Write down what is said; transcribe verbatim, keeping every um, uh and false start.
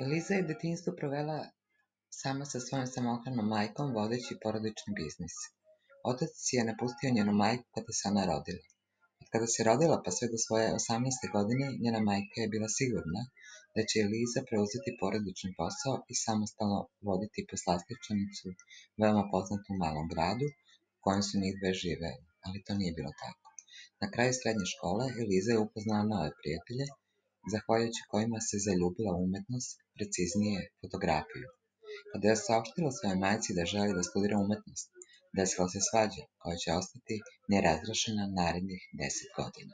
Eliza je detinjstvo provela sama sa svojom samohranom majkom, vodeći porodični biznis. Otac je napustio njenu majku kada se ona rodila. Od kada se rodila pa sve do svoje osamnaeste godine, njena majka je bila sigurna da će Eliza preuzeti porodični posao i samostalno voditi poslastičarnicu, veoma poznatu u malom gradu, u kojem su njih dve živele, ali to nije bilo tako. Na kraju srednje škole Eliza je upoznala nove prijatelje, zahvaljujući kojima se zaljubila u umetnost, preciznije fotografiju. Kada je saopštila svojoj majci da želi da studira umetnost, desila se svađa koja će ostati nerazrešena narednih deset godina.